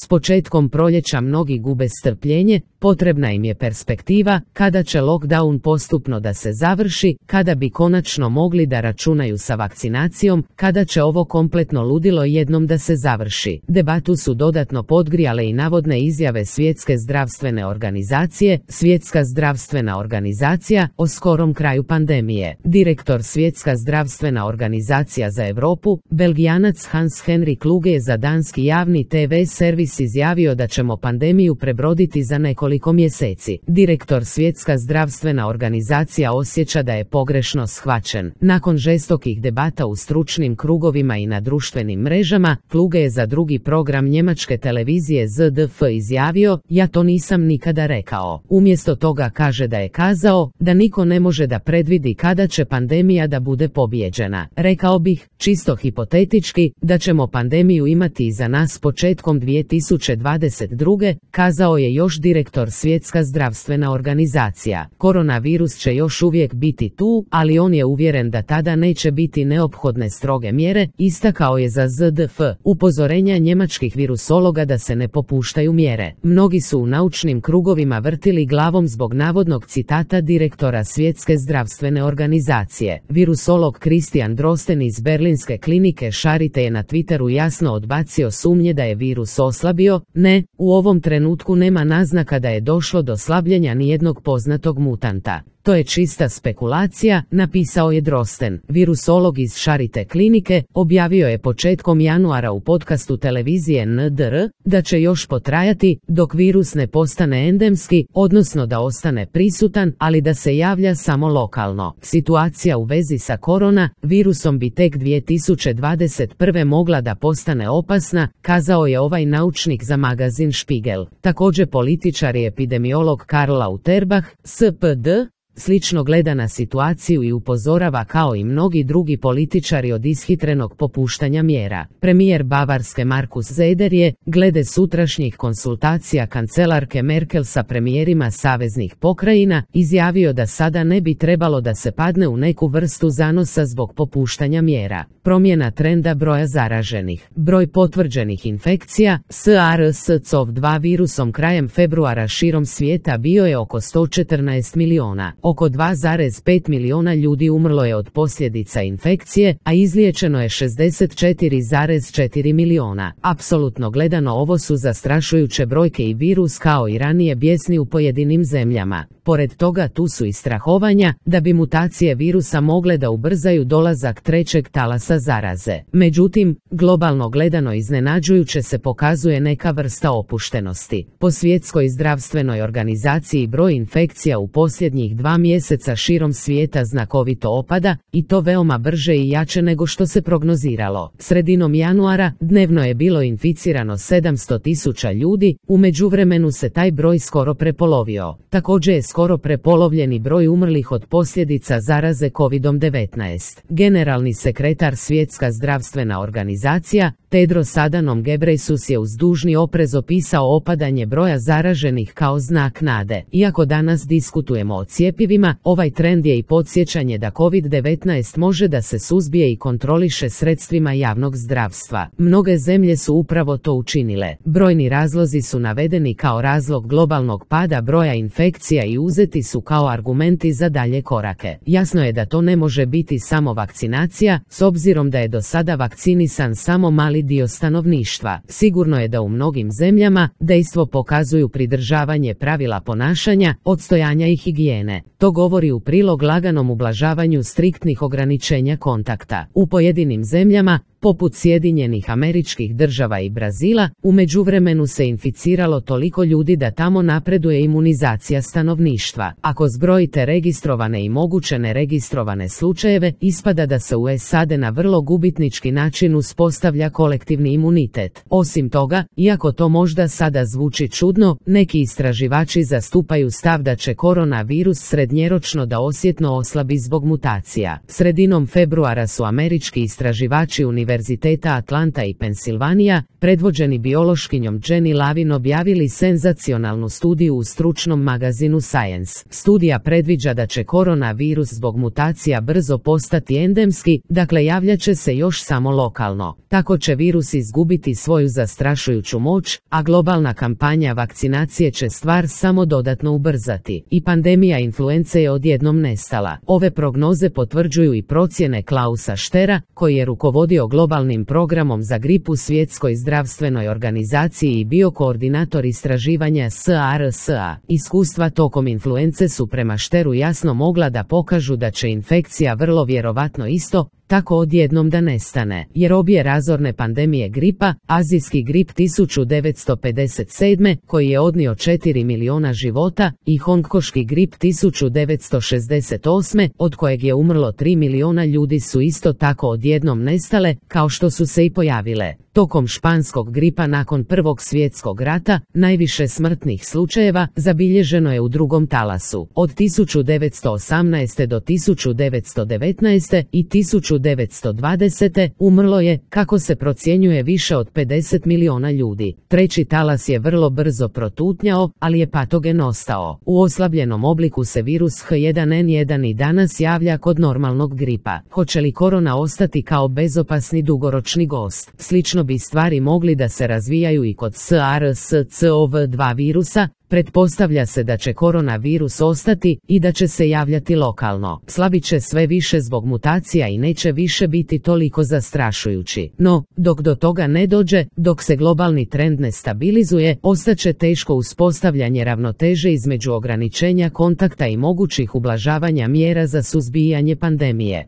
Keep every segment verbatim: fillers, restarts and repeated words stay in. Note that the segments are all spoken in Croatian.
S početkom proljeća mnogi gube strpljenje, potrebna im je perspektiva, kada će lockdown postupno da se završi, kada bi konačno mogli da računaju sa vakcinacijom, kada će ovo kompletno ludilo jednom da se završi. Debatu su dodatno podgrijale i navodne izjave Svjetske zdravstvene organizacije. Svjetska zdravstvena organizacija o skorom kraju pandemije. Direktor Svjetska zdravstvena organizacija za Europu, Belgijanac Hans Henrik Kluge je za danski javni te ve servis izjavio da ćemo pandemiju prebroditi za nekoliko mjeseci. Direktor Svjetska zdravstvena organizacija osjeća da je pogrešno shvaćen. Nakon žestokih debata u stručnim krugovima i na društvenim mrežama, Kluge je za drugi program njemačke televizije Z D F izjavio: ja to nisam nikada rekao. Umjesto toga kaže da je kazao da niko ne može da predvidi kada će pandemija da bude pobijeđena. Rekao bih, čisto hipotetički, da ćemo pandemiju imati iza nas početkom dvije tisuće dvadeset druge, kazao je još direktor Svjetska zdravstvena organizacija. Koronavirus će još uvijek biti tu, ali on je uvjeren da tada neće biti neophodne stroge mjere, istakao je za Z D F. Upozorenja njemačkih virusologa da se ne popuštaju mjere. Mnogi su u naučnim krugovima vrtili glavom zbog navodnog citata direktora Svjetske zdravstvene organizacije. Virusolog Christian Drosten iz berlinske klinike Charité je na Twitteru jasno odbacio sumnje da je virus oslabio. Ne, u ovom trenutku nema naznaka da je došlo do slabljenja nijednog poznatog mutanta. To je čista spekulacija, napisao je Drosten. Virusolog iz Charité klinike objavio je početkom januara u podcastu televizije N D R da će još potrajati dok virus ne postane endemski, odnosno da ostane prisutan, ali da se javlja samo lokalno. Situacija u vezi sa korona virusom bi tek dvije tisuće dvadeset prve mogla da postane opasna, kazao je ovaj naučnik za magazin Spiegel. Također političar i epidemiolog Karl Lauterbach, S P D, slično gleda na situaciju i upozorava kao i mnogi drugi političari od ishitrenog popuštanja mjera. Premijer Bavarske Markus Söder je, glede sutrašnjih konsultacija kancelarke Merkel sa premijerima saveznih pokrajina, izjavio da sada ne bi trebalo da se padne u neku vrstu zanosa zbog popuštanja mjera. Promjena trenda broja zaraženih. Broj potvrđenih infekcija SARS-C o V dva virusom krajem februara širom svijeta bio je oko sto četrnaest miliona. Oko dva zarez pet miliona ljudi umrlo je od posljedica infekcije, a izliječeno je šezdeset četiri zarez četiri miliona. Apsolutno gledano ovo su zastrašujuće brojke i virus kao i ranije bijesni u pojedinim zemljama. Pored toga tu su i strahovanja da bi mutacije virusa mogle da ubrzaju dolazak trećeg talasa zaraze. Međutim, globalno gledano iznenađujuće se pokazuje neka vrsta opuštenosti. Po Svjetskoj zdravstvenoj organizaciji broj infekcija u posljednjih dva mjeseca širom svijeta znakovito opada, i to veoma brže i jače nego što se prognoziralo. Sredinom januara dnevno je bilo inficirano sedamsto tisuća ljudi, u međuvremenu se taj broj skoro prepolovio. Također je skoro prepolovljeni broj umrlih od posljedica zaraze kovidom devetnaest. Generalni sekretar Svjetska zdravstvena organizacija, Tedros Adhanom Ghebreyesus je uz dužni oprez opisao opadanje broja zaraženih kao znak nade. Iako danas diskutujemo o cjepivima, ovaj trend je i podsjećanje da kovid devetnaest može da se suzbije i kontroliše sredstvima javnog zdravstva. Mnoge zemlje su upravo to učinile. Brojni razlozi su navedeni kao razlog globalnog pada broja infekcija i uzeti su kao argumenti za dalje korake. Jasno je da to ne može biti samo vakcinacija, s obzirom da je do sada vakcinisan samo mali dio stanovništva. Sigurno je da u mnogim zemljama dejstvo pokazuju pridržavanje pravila ponašanja, odstojanja i higijene. To govori u prilog laganom ublažavanju striktnih ograničenja kontakta. U pojedinim zemljama, poput Sjedinjenih Američkih Država i Brazila, u međuvremenu se inficiralo toliko ljudi da tamo napreduje imunizacija stanovništva. Ako zbrojite registrovane i moguće neregistrovane slučajeve, ispada da se u S A D na vrlo gubitnički način uspostavlja kolektivni imunitet. Osim toga, iako to možda sada zvuči čudno, neki istraživači zastupaju stav da će koronavirus srednjeročno da osjetno oslabi zbog mutacija. Sredinom februara su američki istraživači univerziteta univerziteta Atlanta i Pensilvanija, predvođeni biološkinjom Jenny Lavin, objavili senzacionalnu studiju u stručnom magazinu Science. Studija predviđa da će koronavirus zbog mutacija brzo postati endemski, dakle javljat će se još samo lokalno. Tako će virus izgubiti svoju zastrašujuću moć, a globalna kampanja vakcinacije će stvar samo dodatno ubrzati. I pandemija influence je odjednom nestala. Ove prognoze potvrđuju i procjene Klausa Štera, koji je rukovodio globalnim programom za gripu Svjetskoj zdravstvenoj organizaciji i bio koordinator istraživanja SARS-a. Iskustva tokom influence su prema Šteru jasno mogla da pokažu da će infekcija vrlo vjerovatno isto tako odjednom da nestane, jer obje razorne pandemije gripa, azijski grip tisuću devetsto pedeset sedme koji je odnio četiri miliona života i hongkoški grip tisuću devetsto šezdeset osme od kojeg je umrlo tri miliona ljudi su isto tako odjednom nestale, kao što su se i pojavile. Tokom španskog gripa nakon Prvog svjetskog rata, najviše smrtnih slučajeva zabilježeno je u drugom talasu. Od tisuću devetsto osamnaeste do tisuću devetsto devetnaeste i tisuću devetsto dvadesete umrlo je, kako se procjenjuje, više od pedeset miliona ljudi. Treći talas je vrlo brzo protutnjao, ali je patogen ostao. U oslabljenom obliku se virus H jedan N jedan i danas javlja kod normalnog gripa. Hoće li korona ostati kao bezopasni dugoročni gost? Slično bi stvari mogli da se razvijaju i kod SARS-C o V dva virusa. Pretpostavlja se da će koronavirus ostati i da će se javljati lokalno. Slabit će sve više zbog mutacija i neće više biti toliko zastrašujući. No, dok do toga ne dođe, dok se globalni trend ne stabilizuje, ostaće teško uspostavljanje ravnoteže između ograničenja kontakta i mogućih ublažavanja mjera za suzbijanje pandemije.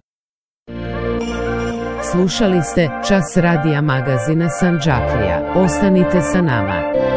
Slušali ste Čas radija magazina Sandžaklija. Ostanite sa nama.